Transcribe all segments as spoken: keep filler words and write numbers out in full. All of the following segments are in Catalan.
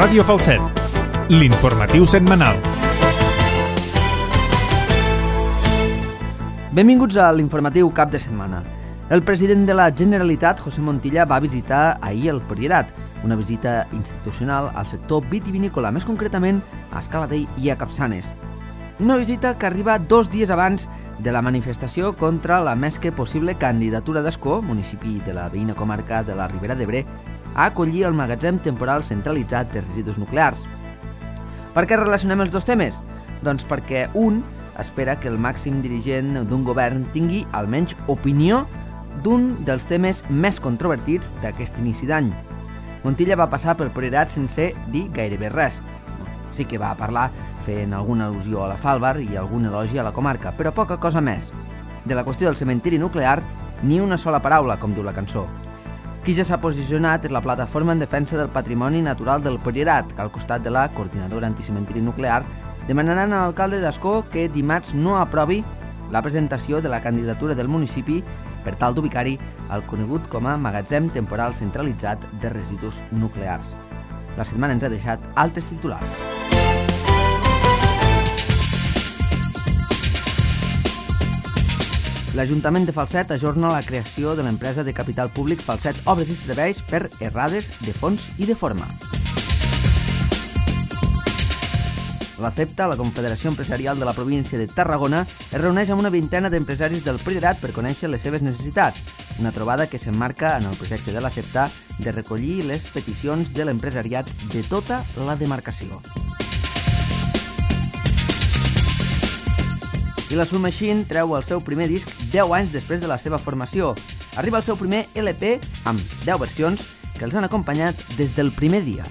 Ràdio Falset, l'informatiu setmanal. Benvinguts a l'informatiu cap de setmana. El president de la Generalitat, José Montilla, va visitar ahir el Priorat, una visita institucional al sector vitivinícola, més concretament a Escaladei i a Capçanes. Una visita que arriba dos dies abans de la manifestació contra la més que possible candidatura d'Ascó, municipi de la veïna comarca de la Ribera d'Ebre, a acollir el magatzem temporal centralitzat de residus nuclears. Per què relacionem els dos temes? Doncs perquè un espera que el màxim dirigent d'un govern tingui almenys opinió d'un dels temes més controvertits d'aquest inici d'any. Montilla va passar pel Priorat sense dir gairebé res. Sí que va parlar fent alguna al·lusió a la Falbar i algun elogi a la comarca, però poca cosa més. De la qüestió del cementiri nuclear, ni una sola paraula, com diu la cançó. Qui ja s'ha posicionat és la plataforma en defensa del patrimoni natural del Priorat, que al costat de la coordinadora anticementiri nuclear demanaran a l'alcalde d'Ascó que dimarts no aprovi la presentació de la candidatura del municipi per tal d'ubicar-hi el conegut com a magatzem temporal centralitzat de residus nuclears. La setmana ens ha deixat altres titulars. L'Ajuntament de Falset ajorna la creació de l'empresa de capital públic Falset Obres i Serveis per errades de fons i de forma. La CEPTA, la Confederació Empresarial de la Província de Tarragona, es reuneix amb una vintena d'empresaris del Priorat per conèixer les seves necessitats, una trobada que s'emmarca en el projecte de la CEPTA de recollir les peticions de l'empresariat de tota la demarcació. I la Soul Machine treu el seu primer disc deu anys després de la seva formació. Arriba el seu primer L P amb deu versions que els han acompanyat des del primer dia.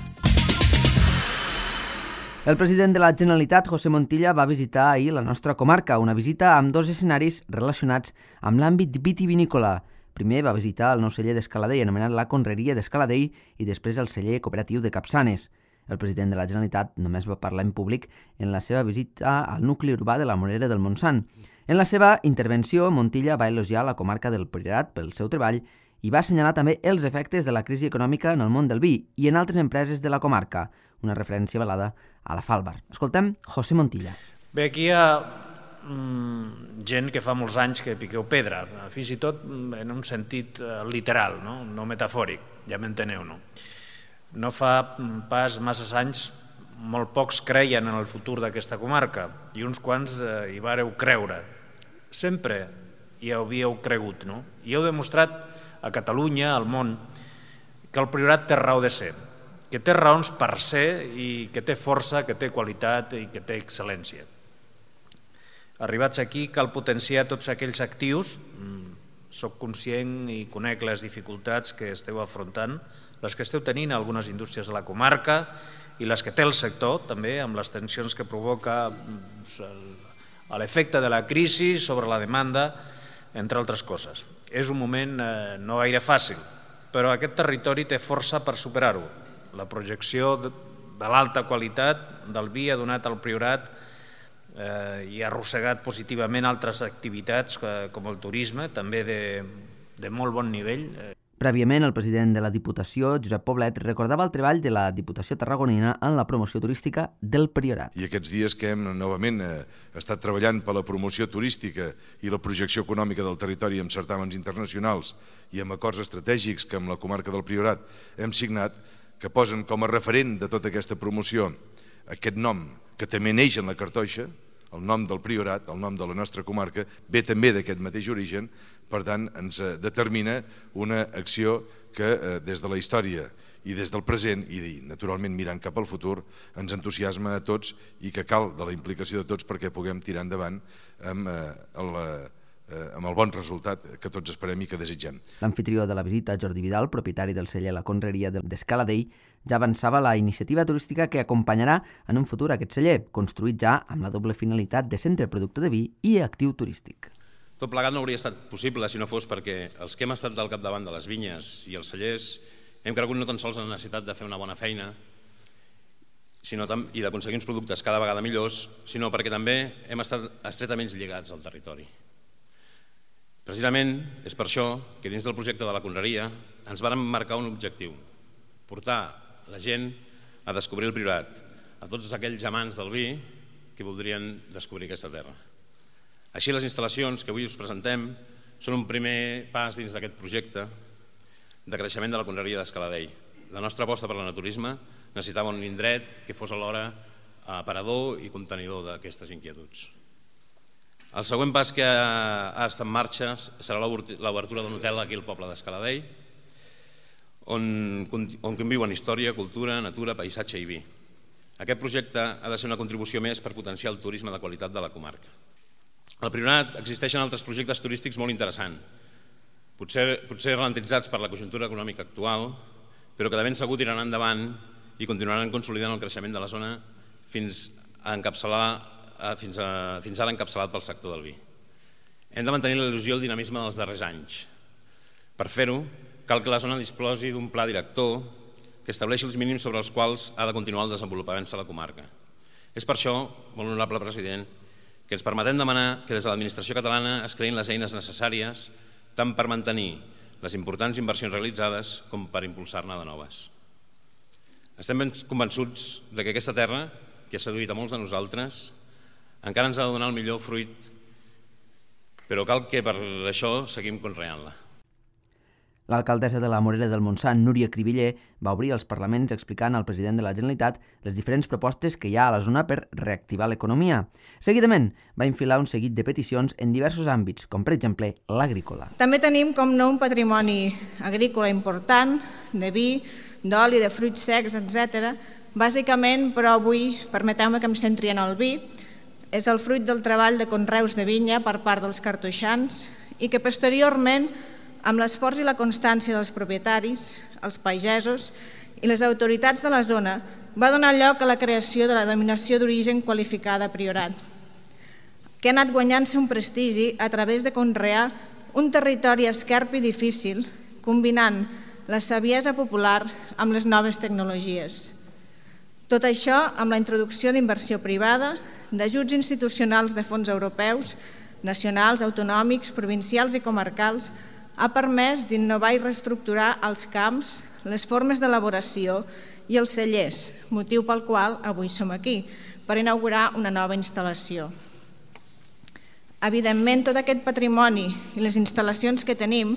El president de la Generalitat, José Montilla, va visitar ahir la nostra comarca, una visita amb dos escenaris relacionats amb l'àmbit vitivinícola. Primer va visitar el nou celler d'Escaladei, anomenat la Conreria d'Escaladei, i després el celler cooperatiu de Capçanes. El president de la Generalitat només va parlar en públic en la seva visita al nucli urbà de la Morera del Montsant. En la seva intervenció, Montilla va elogiar la comarca del Priorat pel seu treball i va assenyalar també els efectes de la crisi econòmica en el món del vi i en altres empreses de la comarca, una referència velada a la Falbar. Escoltem José Montilla. Bé, aquí hi ha mm, gent que fa molts anys que piqueu pedra, fins i tot en un sentit uh, literal, no, no metafòric, ja m'enteneu, no? No fa pas massa anys, molt pocs creien en el futur d'aquesta comarca i uns quants eh, hi vareu creure. Sempre hi havíeu cregut, no? I heu demostrat a Catalunya, al món, que el Priorat té raó de ser, que té raons per ser i que té força, que té qualitat i que té excel·lència. Arribats aquí cal potenciar tots aquells actius. Soc conscient i conec les dificultats que esteu afrontant, les que esteu tenint algunes indústries de la comarca i les que té el sector, també, amb les tensions que provoca l'efecte de la crisi sobre la demanda, entre altres coses. És un moment eh, no gaire fàcil, però aquest territori té força per superar-ho. La projecció de, de l'alta qualitat del vi ha donat al Priorat eh, i ha arrossegat positivament altres activitats eh, com el turisme, també de, de molt bon nivell. Prèviament, el president de la Diputació, Josep Poblet, recordava el treball de la Diputació tarragonina en la promoció turística del Priorat. I aquests dies que hem novament eh, estat treballant per la promoció turística i la projecció econòmica del territori amb certàmens internacionals i amb acords estratègics que amb la comarca del Priorat hem signat, que posen com a referent de tota aquesta promoció aquest nom que també neix en la cartoixa, el nom del Priorat, el nom de la nostra comarca, ve també d'aquest mateix origen, per tant ens determina una acció que des de la història i des del present i naturalment mirant cap al futur ens entusiasma a tots i que cal de la implicació de tots perquè puguem tirar endavant amb el, amb el bon resultat que tots esperem i que desitgem. L'anfitrió de la visita, Jordi Vidal, propietari del celler La Conreria d'Escaladei, ja avançava la iniciativa turística que acompanyarà en un futur aquest celler, construït ja amb la doble finalitat de centre productor de vi i actiu turístic. Tot plegat no hauria estat possible si no fos perquè els que hem estat al capdavant de les vinyes i els cellers hem cregut no tan sols en la necessitat de fer una bona feina sinó i d'aconseguir uns productes cada vegada millors, sinó perquè també hem estat estretament lligats al territori. Precisament és per això que dins del projecte de la Conreria ens vàrem marcar un objectiu, portar la gent a descobrir el Priorat, a tots aquells amants del vi que voldrien descobrir aquesta terra. Així, les instal·lacions que avui us presentem són un primer pas dins d'aquest projecte de creixement de la conreria d'Escaladei. La nostra aposta per l'enoturisme necessitava un indret que fos alhora aparador i contenidor d'aquestes inquietuds. El següent pas que ha estat en marxa serà l'obertura d'un hotel aquí al poble d'Escaladei, on conviuen història, cultura, natura, paisatge i vi. Aquest projecte ha de ser una contribució més per potenciar el turisme de qualitat de la comarca. Al Priorat existeixen altres projectes turístics molt interessants, potser ralentitzats per la conjuntura econòmica actual, però que de ben segur tiraran endavant i continuaran consolidant el creixement de la zona fins a encapçalar fins ara encapçalat pel sector del vi. Hem de mantenir l'il·lusió i el dinamisme dels darrers anys. Per fer-ho, cal que la zona disposi d'un pla director que estableixi els mínims sobre els quals ha de continuar el desenvolupament de la comarca. És per això, molt honorable president, que ens permetem demanar que des de l'administració catalana es creïn les eines necessàries tant per mantenir les importants inversions realitzades com per impulsar-ne de noves. Estem ben convençuts que aquesta terra, que ha seduït a molts de nosaltres, encara ens ha de donar el millor fruit, però cal que per això seguim conreant-la. L'alcaldessa de la Morera del Montsant, Núria Cribiller, va obrir els parlaments explicant al president de la Generalitat les diferents propostes que hi ha a la zona per reactivar l'economia. Seguidament, va infilar un seguit de peticions en diversos àmbits, com per exemple l'agrícola. També tenim, com no, un patrimoni agrícola important, de vi, d'oli, de fruits secs, etcètera. Bàsicament, però avui, permeteu-me que em centri en el vi, és el fruit del treball de conreus de vinya per part dels cartoixans i que posteriorment, amb l'esforç i la constància dels propietaris, els pagesos i les autoritats de la zona, va donar lloc a la creació de la denominació d'origen qualificada Priorat, que ha anat guanyant-se un prestigi a través de conrear un territori esquerp i difícil, combinant la saviesa popular amb les noves tecnologies. Tot això amb la introducció d'inversió privada, d'ajuts institucionals de fons europeus, nacionals, autonòmics, provincials i comarcals, ha permès d'innovar i reestructurar els camps, les formes d'elaboració i els cellers, motiu pel qual avui som aquí, per inaugurar una nova instal·lació. Evidentment, tot aquest patrimoni i les instal·lacions que tenim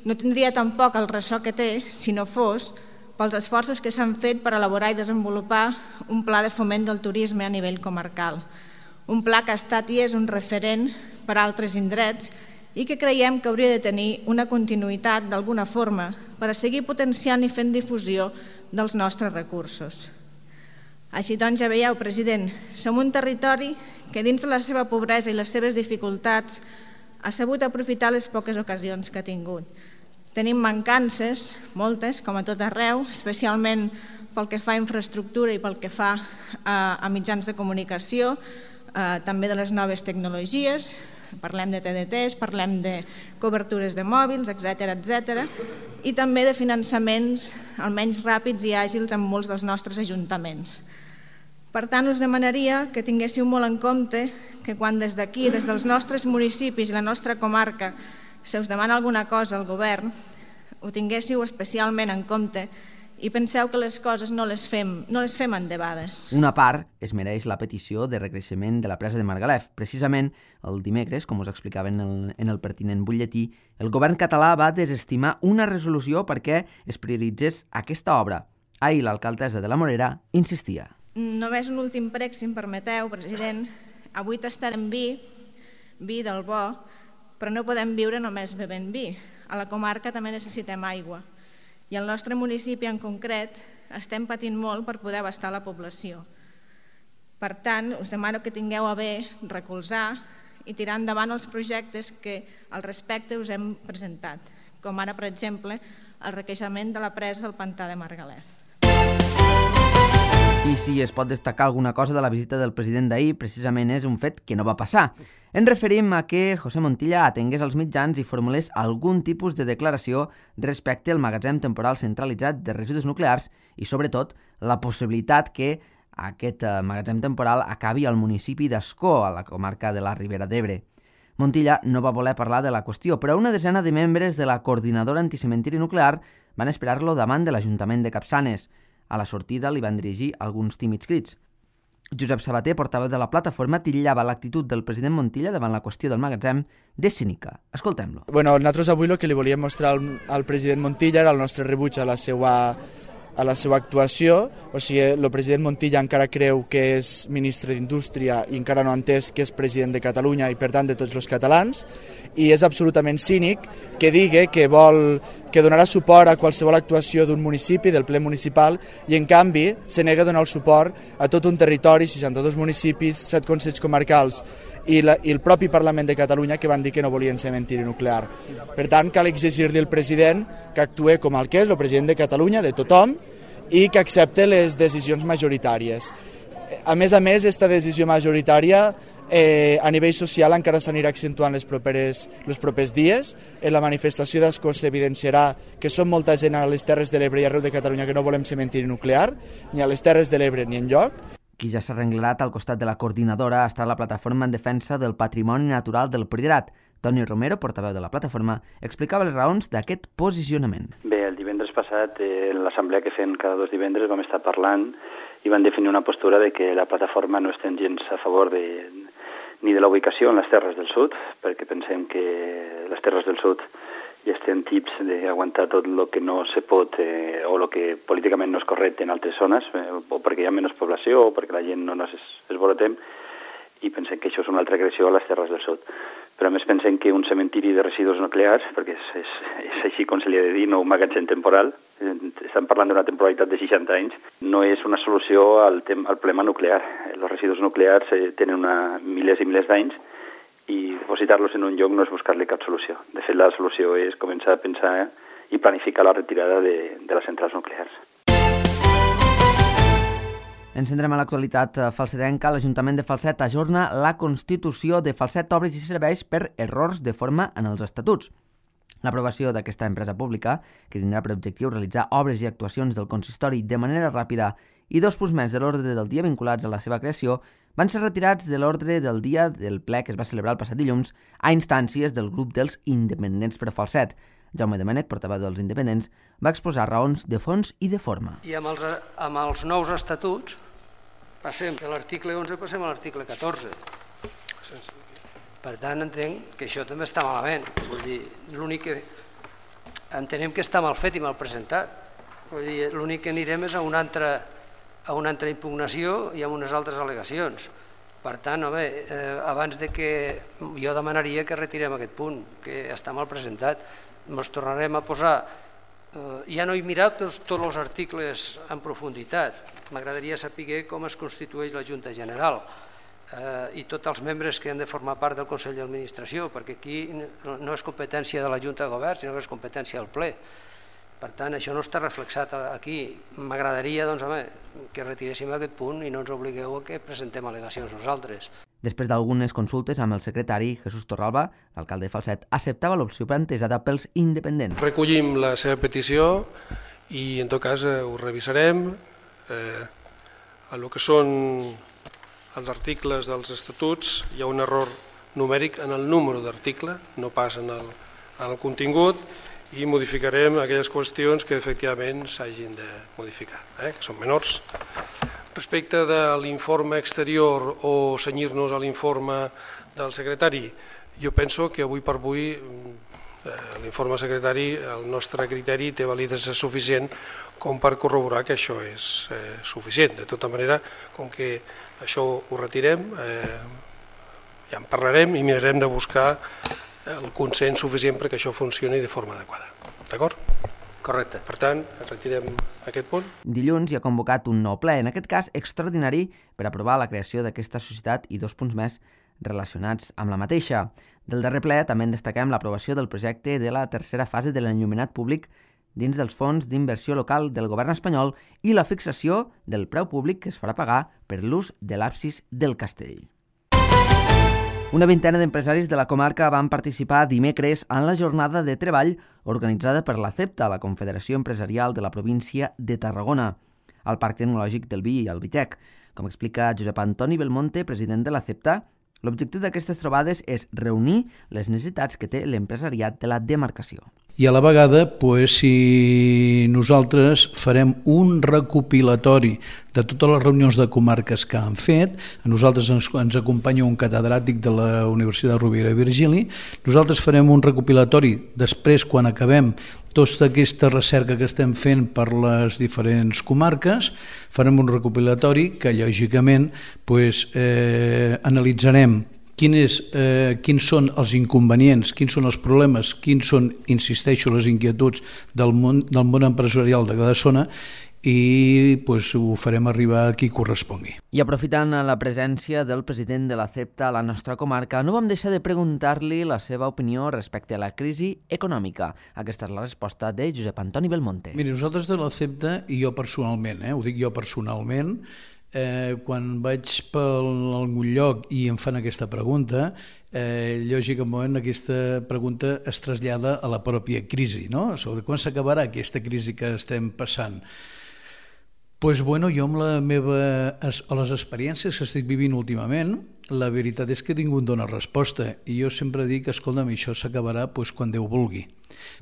no tindria tampoc el ressò que té si no fos pels esforços que s'han fet per elaborar i desenvolupar un pla de foment del turisme a nivell comarcal. Un pla que ha estat i és un referent per a altres indrets i que creiem que hauria de tenir una continuïtat d'alguna forma per a seguir potenciant i fent difusió dels nostres recursos. Així doncs, ja veieu, president, som un territori que dins de la seva pobresa i les seves dificultats ha sabut aprofitar les poques ocasions que ha tingut. Tenim mancances, moltes, com a tot arreu, especialment pel que fa a infraestructura i pel que fa a mitjans de comunicació, també de les noves tecnologies, parlem de T D Ts, parlem de cobertures de mòbils, etcètera, etcètera, i també de finançaments almenys ràpids i àgils en molts dels nostres ajuntaments. Per tant, us demanaria que tinguéssiu molt en compte que quan des d'aquí, des dels nostres municipis i la nostra comarca, se us demana alguna cosa al govern, ho tinguéssiu especialment en compte i penseu que les coses no les fem, no les fem endebades. Una part es mereix la petició de recreixement de la presa de Margalef. Precisament el dimecres, com us explicava en el, en el pertinent butlletí, el govern català va desestimar una resolució perquè es prioritzés aquesta obra. Ahir l'alcaldessa de la Morera insistia. Només un últim prec, si em permeteu, president. Avui tastarem vi, vi del bo, però no podem viure només bevent vi. A la comarca també necessitem aigua. I al nostre municipi en concret estem patint molt per poder abastar la població. Per tant, us demano que tingueu a bé recolzar i tirar endavant els projectes que al respecte us hem presentat, com ara, per exemple, el requeixement de la presa del pantà de Margalef. I si es pot destacar alguna cosa de la visita del president d'ahir, precisament és un fet que no va passar. Ens referim a que José Montilla atengués als mitjans i formulés algun tipus de declaració respecte al magatzem temporal centralitzat de residus nuclears i, sobretot, la possibilitat que aquest magatzem temporal acabi al municipi d'Ascó, a la comarca de la Ribera d'Ebre. Montilla no va voler parlar de la qüestió, però una desena de membres de la coordinadora anticementiri nuclear van esperar-lo davant de l'Ajuntament de Capçanes. A la sortida li van dirigir alguns tímids crits. Josep Sabater, portaveu de la plataforma, titllava l'actitud del president Montilla davant la qüestió del magatzem de cínica. Escoltem-lo. Bueno, nosaltres avui el que li volíem mostrar al, al president Montilla era el nostre rebuig a la seva, a la seva actuació. O sigui, el president Montilla encara creu que és ministre d'Indústria i encara no ha entès que és president de Catalunya i, per tant, de tots els catalans. I és absolutament cínic que digui que vol que donarà suport a qualsevol actuació d'un municipi, del ple municipal, i en canvi se nega a donar el suport a tot un territori, seixanta-dos municipis, set consells comarcals i, la, i el propi Parlament de Catalunya que van dir que no volien cementiri nuclear. Per tant, cal exigir-li al president que actuï com el que és, el president de Catalunya, de tothom, i que accepte les decisions majoritàries. A més a més, aquesta decisió majoritària eh, a nivell social encara s'anirà accentuant les properes, els propers dies. En la manifestació d'Ascó s'evidenciarà que som molta gent a les Terres de l'Ebre i arreu de Catalunya que no volem cementiri nuclear, ni a les Terres de l'Ebre ni enlloc. Qui ja s'ha arrenglerat al costat de la coordinadora ha estat la plataforma en defensa del patrimoni natural del Priorat. Toni Romero, portaveu de la plataforma, explicava les raons d'aquest posicionament. Bé, el divendres passat, eh, en l'assemblea que fem cada dos divendres, vam estar parlant i van definir una postura de que la plataforma no estem gens a favor de, ni de la ubicació en les Terres del Sud, perquè pensem que les Terres del Sud ja estem tips d'aguantar tot el que no se pot eh, o el que políticament no és correcte en altres zones, eh, o perquè hi ha menys població o perquè la gent no ens esborotem, i pensem que això és una altra agressió a les Terres del Sud. Però a més pensem que un cementiri de residus nuclears, perquè és, és, és així com se li ha de dir, no un magatzem temporal, estan parlant d'una temporalitat de seixanta anys, no és una solució al, tem al problema nuclear. Els residus nuclears eh, tenen una, milers i milers d'anys i dipositar-los en un lloc no és buscar-li cap solució. De fet, la solució és començar a pensar eh, i planificar la retirada de, de les centrals nuclears. Ens centrem a l'actualitat falsetenca. L'Ajuntament de Falset ajorna la constitució de Falset Obres i Serveis per errors de forma en els estatuts. L'aprovació d'aquesta empresa pública, que tindrà per objectiu realitzar obres i actuacions del consistori de manera ràpida i dos punts més de l'ordre del dia vinculats a la seva creació, van ser retirats de l'ordre del dia del ple que es va celebrar el passat dilluns a instàncies del grup dels independents per Falset. Jaume Domènech, portaveu dels independents, va exposar raons de fons i de forma. I amb els, amb els nous estatuts passem de l'article onze passem a l'article catorze. Per tant, entenc que això també està malament. Vull dir, l'únic que entenem que està mal fet i mal presentat. Vull dir, l'únic que anirem és a una altra, a una altra impugnació i a unes altres al·legacions. Per tant, home, eh, abans de que jo demanaria que retirem aquest punt, que està mal presentat. Ens tornarem a posar. Uh, ja no he mirat tots, tots els articles en profunditat. M'agradaria saber com es constitueix la Junta General uh, i tots els membres que han de formar part del Consell d'Administració, perquè aquí no, no és competència de la Junta de Govern, sinó que és competència del ple. Per tant, això no està reflexat aquí. M'agradaria doncs, home, que retiréssim aquest punt i no ens obligueu a que presentem al·legacions nosaltres. Després d'algunes consultes amb el secretari Jesús Torralba, l'alcalde de Falset acceptava l'opció plantejada pels independents. Recollim la seva petició i en tot cas eh, ho revisarem. Eh, a lo que són els articles dels estatuts hi ha un error numèric en el número d'article, no pas en el, en el contingut, i modificarem aquelles qüestions que efectivament s'hagin de modificar, eh, que són menors. Respecte de l'informe exterior o cenyir-nos a l'informe del secretari, jo penso que avui per avui eh, l'informe secretari, el nostre criteri, té validesa suficient com per corroborar que això és eh, suficient. De tota manera, com que això ho retirem, eh, ja en parlarem i mirarem de buscar el consens suficient perquè això funcioni de forma adequada. D'acord? Correcte. Per tant, retirem aquest punt. Dilluns hi ha convocat un nou ple, en aquest cas extraordinari, per aprovar la creació d'aquesta societat i dos punts més relacionats amb la mateixa. Del darrer ple també en destaquem l'aprovació del projecte de la tercera fase de l'enllumenat públic dins dels fons d'inversió local del govern espanyol i la fixació del preu públic que es farà pagar per l'ús de l'absis del castell. Una vintena d'empresaris de la comarca van participar dimecres en la jornada de treball organitzada per la CEPTA, la Confederació Empresarial de la província de Tarragona, al Parc Tecnològic del Vi i al Vitec. Com explica Josep Antoni Belmonte, president de la CEPTA, l'objectiu d'aquestes trobades és reunir les necessitats que té l'empresariat de la demarcació. i a la vegada, pues, si nosaltres farem un recopilatori de totes les reunions de comarques que han fet, a nosaltres ens, ens acompanya un catedràtic de la Universitat Rovira i Virgili, nosaltres farem un recopilatori després, quan acabem tota aquesta recerca que estem fent per les diferents comarques, farem un recopilatori que, lògicament, pues, eh, analitzarem Quin és, eh, quins són els inconvenients, quins són els problemes, quins són, insisteixo, les inquietuds del món, del món empresarial de cada zona i pues, ho farem arribar a qui correspongui. I aprofitant la presència del president de la CEPTA a la nostra comarca, no vam deixar de preguntar-li la seva opinió respecte a la crisi econòmica. Aquesta és la resposta de Josep Antoni Belmonte. Miri, nosaltres de la CEPTA, i jo personalment, eh, ho dic jo personalment, Eh, quan vaig per algun lloc i em fan aquesta pregunta, eh, lògicament aquesta pregunta es trasllada a la pròpia crisi, no? Sobre quan s'acabarà aquesta crisi que estem passant. Pues bueno, jo amb la meva, a les experiències que estic vivint últimament, la veritat és que ningú em dona resposta i jo sempre dic, escolta'm, això s'acabarà pues, quan Déu vulgui.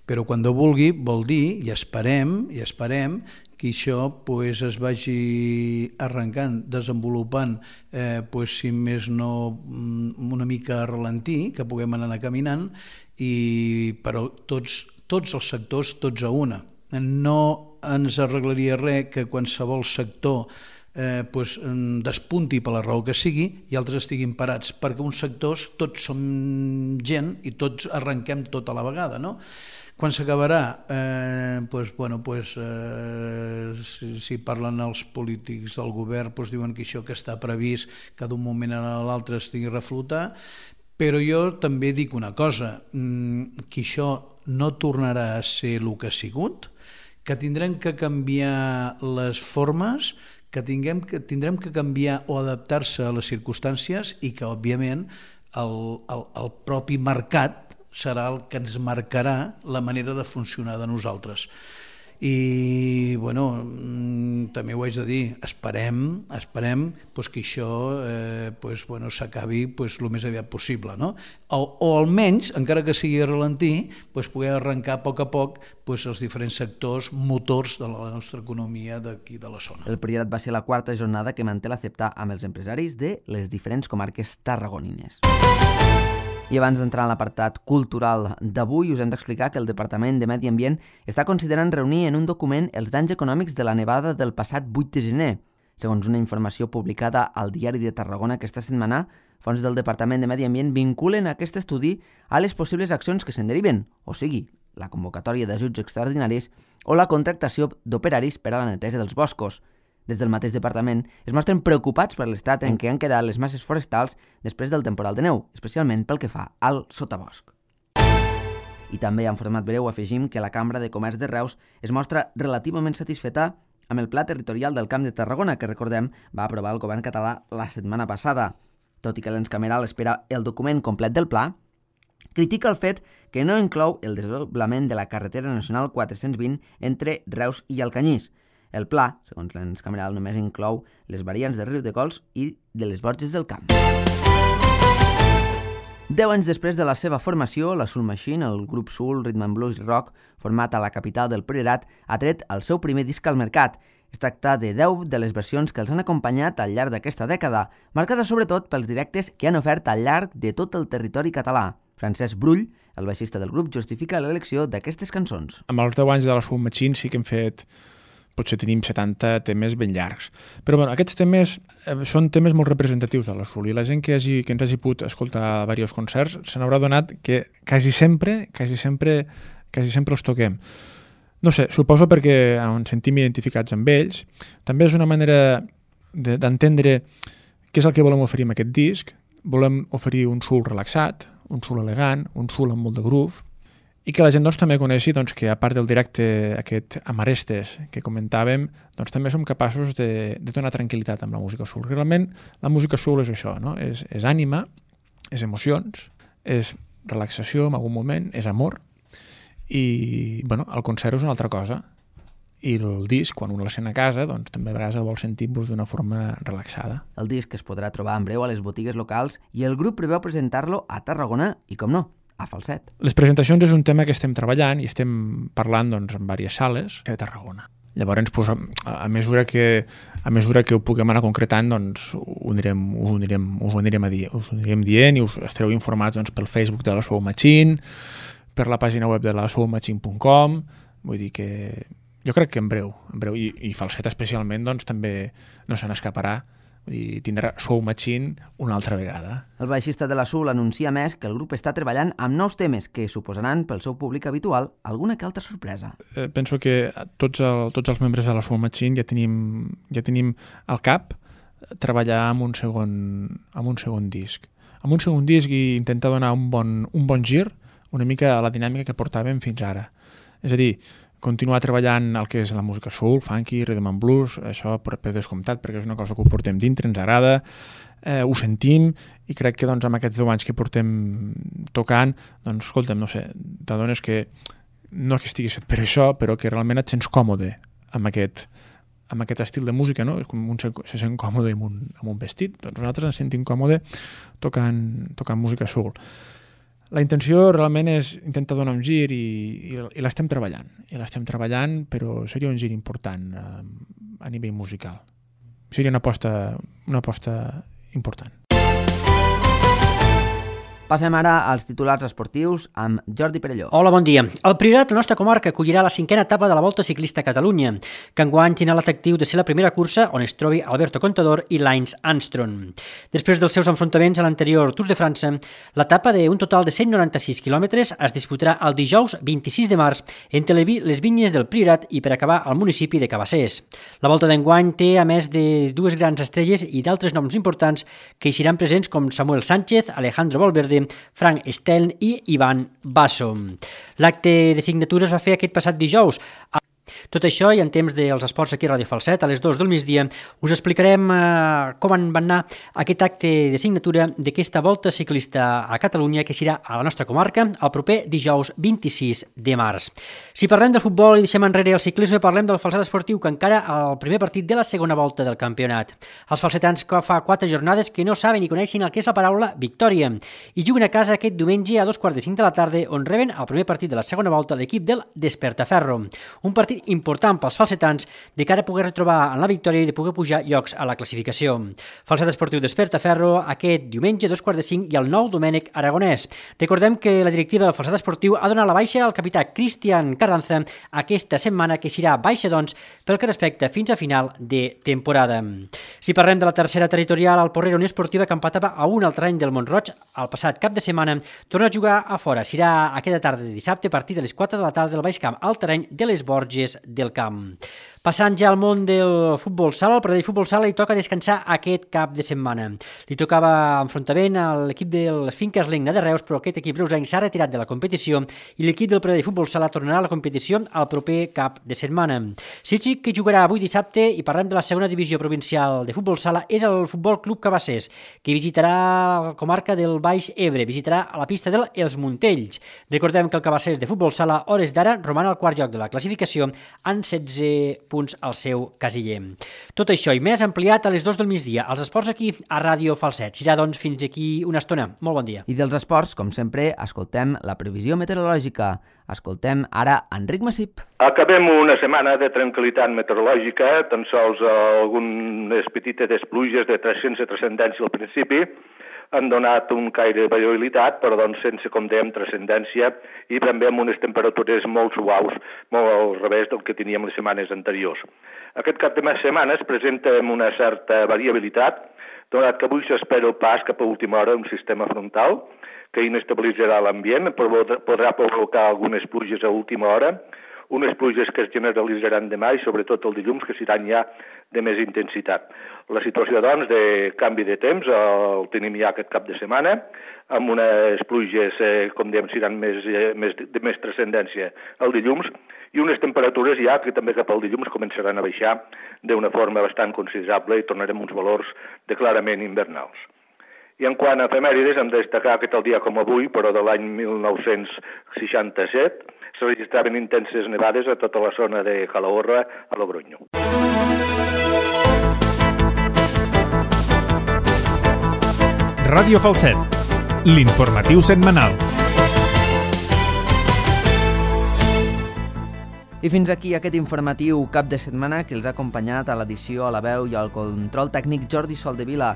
Però quan Déu vulgui vol dir, i esperem, i esperem que això pues, es vagi arrencant, desenvolupant, eh, pues, si més no una mica a ralentí, que puguem anar caminant, i, però tots, tots els sectors, tots a una. No ens arreglaria res que qualsevol sector eh, pues, despunti per la raó que sigui i altres estiguin parats, perquè uns sectors tots som gent i tots arrenquem tot a la vegada, no? Quan s'acabarà? Eh, pues, bueno, pues, eh, si, si parlen els polítics del govern, pues, diuen que això que està previst que d'un moment a l'altre estigui a reflotar, però jo també dic una cosa, que això no tornarà a ser el que ha sigut, que tindrem que canviar les formes, que, tinguem, que tindrem que canviar o adaptar-se a les circumstàncies i que, òbviament, el, el, el propi mercat serà el que ens marcarà la manera de funcionar de nosaltres. I, bueno, també ho haig de dir, esperem, esperem pues, que això eh, pues, bueno, s'acabi pues, el més aviat possible, no? O, o almenys, encara que sigui a ralentí, pues, poder arrencar a poc a poc pues, els diferents sectors motors de la nostra economia d'aquí de la zona. El Priorat va ser la quarta jornada que manté la CEPTA amb els empresaris de les diferents comarques tarragonines. I abans d'entrar en l'apartat cultural d'avui, us hem d'explicar que el Departament de Medi Ambient està considerant reunir en un document els danys econòmics de la nevada del passat vuit de gener. Segons una informació publicada al Diari de Tarragona aquesta setmana, fons del Departament de Medi Ambient vinculen aquest estudi a les possibles accions que se'n deriven, o sigui, la convocatòria d'ajuts extraordinaris o la contractació d'operaris per a la neteja dels boscos. Des del mateix departament es mostren preocupats per l'estat en què han quedat les masses forestals després del temporal de neu, especialment pel que fa al sotabosc. I també en format breu afegim que la Cambra de Comerç de Reus es mostra relativament satisfeta amb el Pla Territorial del Camp de Tarragona, que recordem va aprovar el govern català la setmana passada. Tot i que l'ens cameral espera el document complet del pla, critica el fet que no inclou el desdoblament de la carretera nacional quatre-cents vint entre Reus i Alcanyís. El pla, segons l'ens cameral, només inclou les variants de Riudecols i de les Borges del Camp. Deu anys després de la seva formació, la Soul Machine, el grup soul, rhythm and blues i rock, format a la capital del Priorat, ha tret el seu primer disc al mercat. Es tracta de deu de les versions que els han acompanyat al llarg d'aquesta dècada, marcada sobretot pels directes que han ofert al llarg de tot el territori català. Francesc Brull, el baixista del grup, justifica l'elecció d'aquestes cançons. Amb els deu anys de la Soul Machine sí que hem fet, potser tenim setanta temes ben llargs. Però bueno, aquests temes eh, són temes molt representatius de la Soul i la gent que, hagi, que ens hagi pogut escoltar diversos concerts se n'haurà donat que quasi sempre, quasi sempre, quasi sempre els toquem. No sé, suposo perquè ens sentim identificats amb ells. També és una manera d'entendre què és el que volem oferir amb aquest disc. Volem oferir un soul relaxat, un soul elegant, un soul amb molt de groove, i que la gent doncs, també coneixi doncs, que a part del directe aquest Amarestes que comentàvem, doncs, també som capaços de, de donar tranquil·litat amb la música soul. Realment la música soul és això, no? és, és ànima, és emocions, és relaxació en algun moment, és amor, i bueno, el concert és una altra cosa. I el disc, quan un el sent a casa, doncs, també a vegades el vol sentir doncs, d'una forma relaxada. El disc es podrà trobar en breu a les botigues locals i el grup preveu presentar-lo a Tarragona i, com no, a Falset. Les presentacions és un tema que estem treballant i estem parlant doncs, en diverses sales de Tarragona. Llavors, pues, a, mesura que, a mesura que ho puguem anar concretant, doncs, ho anirem, ho anirem, us ho anirem, a dir, us ho anirem dient i us estareu informats doncs, pel Facebook de la Soul Machine, per la pàgina web de la soul machine punt com. Vull dir que jo crec que en breu, en breu i, i Falset especialment doncs, també no se n'escaparà. Vull dir, tindrà Soul Machine una altra vegada. El baixista de la Soul anuncia més que el grup està treballant amb nous temes que suposaran pel seu públic habitual alguna que altra sorpresa. Eh, penso que tots, el, tots els membres de la Soul Machine ja tenim, ja tenim al cap treballar amb un segon, amb un segon disc. Amb un segon disc i intentar donar un bon, un bon gir una mica a la dinàmica que portàvem fins ara. És a dir, continuar treballant el que és la música soul, funky, rhythm and blues, això per descomptat, perquè és una cosa que ho portem dintre, ens agrada, eh, ho sentim, i crec que doncs, amb aquests deu anys que portem tocant, doncs, escolta'm, no sé, t'adones que no que estiguis fet per això, però que realment et sents còmode amb aquest, amb aquest estil de música, no? És com un se, se sent còmode amb un, amb un vestit. Doncs nosaltres ens sentim còmode tocant, tocant música soul. La intenció realment és intentar donar un gir i, i, i l'estem treballant. I l'estem treballant, però seria un gir important eh, a nivell musical. Seria una aposta, una aposta important. Passem ara als titulars esportius amb Jordi Perelló. Hola, bon dia. El Priorat, la nostra comarca, acollirà la cinquena etapa de la Volta Ciclista a Catalunya, que enguany tindrà l'atractiu de ser la primera cursa on es trobi Alberto Contador i Lance Armstrong. Després dels seus enfrontaments a l'anterior Tour de França, l'etapa d'un total de cent noranta-sis quilòmetres es disputarà el dijous vint-i-sis de març entre les vinyes del Priorat i per acabar al municipi de Cabassers. La Volta d'enguany té, a més de dues grans estrelles i d'altres noms importants que hi seran presents com Samuel Sánchez, Alejandro Valverde, Frank Steln i Ivan Basso. L'acte de signatura es va fer aquest passat dijous. Tot això i en temps dels esports aquí a Ràdio Falset, a les dues del migdia, us explicarem eh, com en va anar aquest acte de signatura d'aquesta Volta Ciclista a Catalunya que serà a la nostra comarca el proper dijous vint-i-sis de març. Si parlem del futbol i deixem enrere el ciclisme, parlem del Falset Esportiu que encara al primer partit de la segona volta del campionat. Els falsetans que fa quatre jornades que no saben ni coneixen el que és la paraula victòria i juguen a casa aquest diumenge a dos quarts de cinc de la tarda on reben el primer partit de la segona volta l'equip del Despertaferro. Un partit important pels falsetans de cara a poder retrobar en la victòria i de poder pujar llocs a la classificació. Falset Esportiu Despertaferro aquest diumenge, dos quarts de cinc, i el nou Domènec Aragonès. Recordem que la directiva del Falset Esportiu ha donat la baixa al capità Cristian Carranza aquesta setmana, que serà baixa, doncs, pel que respecta fins a final de temporada. Si parlem de la tercera territorial, el Porrera Unió Esportiva, que empatava a un al terreny del Mont-roig el passat cap de setmana, torna a jugar a fora. Serà aquesta tarda de dissabte a partir de les quatre de la tarda del Baix Camp al terreny de les Borges del Camp. Passant ja al món del futbol sala, al Pradell Futbol Sala li toca descansar aquest cap de setmana. Li tocava enfrontament a l'equip del Finques Legna de Reus, però aquest equip reusenc s'ha retirat de la competició i l'equip del Pradell Futbol Sala tornarà a la competició al proper cap de setmana. Sitges, que jugarà avui dissabte, i parlem de la segona divisió provincial de futbol sala, és el Futbol Club Cabassers, que visitarà la comarca del Baix Ebre, visitarà a la pista del Els Montells. Recordem que el Cabassers de futbol sala, hores d'ara, roman al quart lloc de la classificació amb setze punts al seu casiller. Tot això i més ampliat a les dues del migdia. Els esports aquí a Ràdio Falset. Serà, doncs, fins aquí una estona. Molt bon dia. I dels esports, com sempre, escoltem la previsió meteorològica. Escoltem ara Enric Massip. Acabem una setmana de tranquil·litat meteorològica, tan sols algunes petites pluges de sense transcendència al principi, han donat un caire de variabilitat, però doncs sense, com dèiem, transcendència i també amb unes temperatures molt suaus, molt al revés del que teníem les setmanes anteriors. Aquest cap de setmana es presenta amb una certa variabilitat, donat que avui s'espera el pas cap a última hora un sistema frontal que inestabilitzarà l'ambient, podrà provocar algunes pluges a última hora, unes pluges que es generalitzaran demà i sobretot el dilluns, que seran ja de més intensitat. La situació, doncs, de canvi de temps el tenim ja aquest cap de setmana, amb unes pluges, eh, com dèiem, seran més, eh, més, de més transcendència el dilluns, i unes temperatures ja que també cap al dilluns començaran a baixar d'una forma bastant considerable i tornarem uns valors de clarament invernals. I en quant a efemèrides, hem de destacar que tal dia com avui, però de l'any mil nou-cents seixanta-set, se registraven intenses nevades a tota la zona de Calahorra, a Logronyo. Ràdio Falset, l'informatiu setmanal. I fins aquí aquest informatiu cap de setmana que els ha acompanyat a l'edició, a la veu i al control tècnic Jordi Soldevila.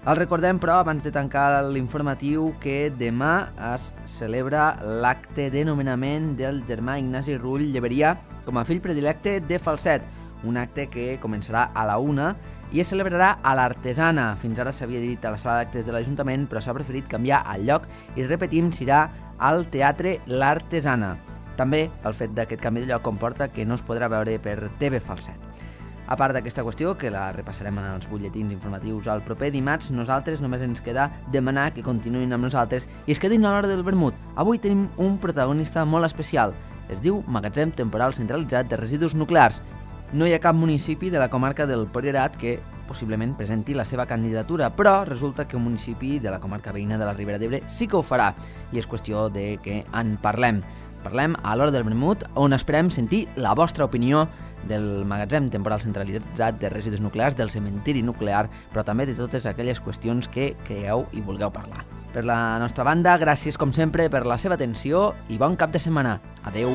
El recordem, però, abans de tancar l'informatiu, que demà es celebra l'acte de nomenament del germà Ignasi Rull Lleberia com a fill predilecte de Falset, un acte que començarà a la una i es celebrarà a l'Artesana. Fins ara s'havia dit a la sala d'actes de l'Ajuntament, però s'ha preferit canviar el lloc i, repetim, serà al Teatre L'Artesana. També el fet d'aquest canvi de lloc comporta que no es podrà veure per T V Falset. A part d'aquesta qüestió, que la repassarem en els butlletins informatius al proper dimarts, nosaltres només ens queda demanar que continuïn amb nosaltres i es quedin a l'hora del vermut. Avui tenim un protagonista molt especial. Es diu Magatzem Temporal Centralitzat de Residus Nuclears. No hi ha cap municipi de la comarca del Priorat que possiblement presenti la seva candidatura, però resulta que un municipi de la comarca veïna de la Ribera d'Ebre sí que ho farà, i és qüestió de que en parlem. Parlem a l'hora del vermut, on esperem sentir la vostra opinió del Magatzem Temporal Centralitzat de Residus Nuclears, del cementiri nuclear, però també de totes aquelles qüestions que creieu i vulgueu parlar. Per la nostra banda, gràcies com sempre per la seva atenció i bon cap de setmana. Adeu!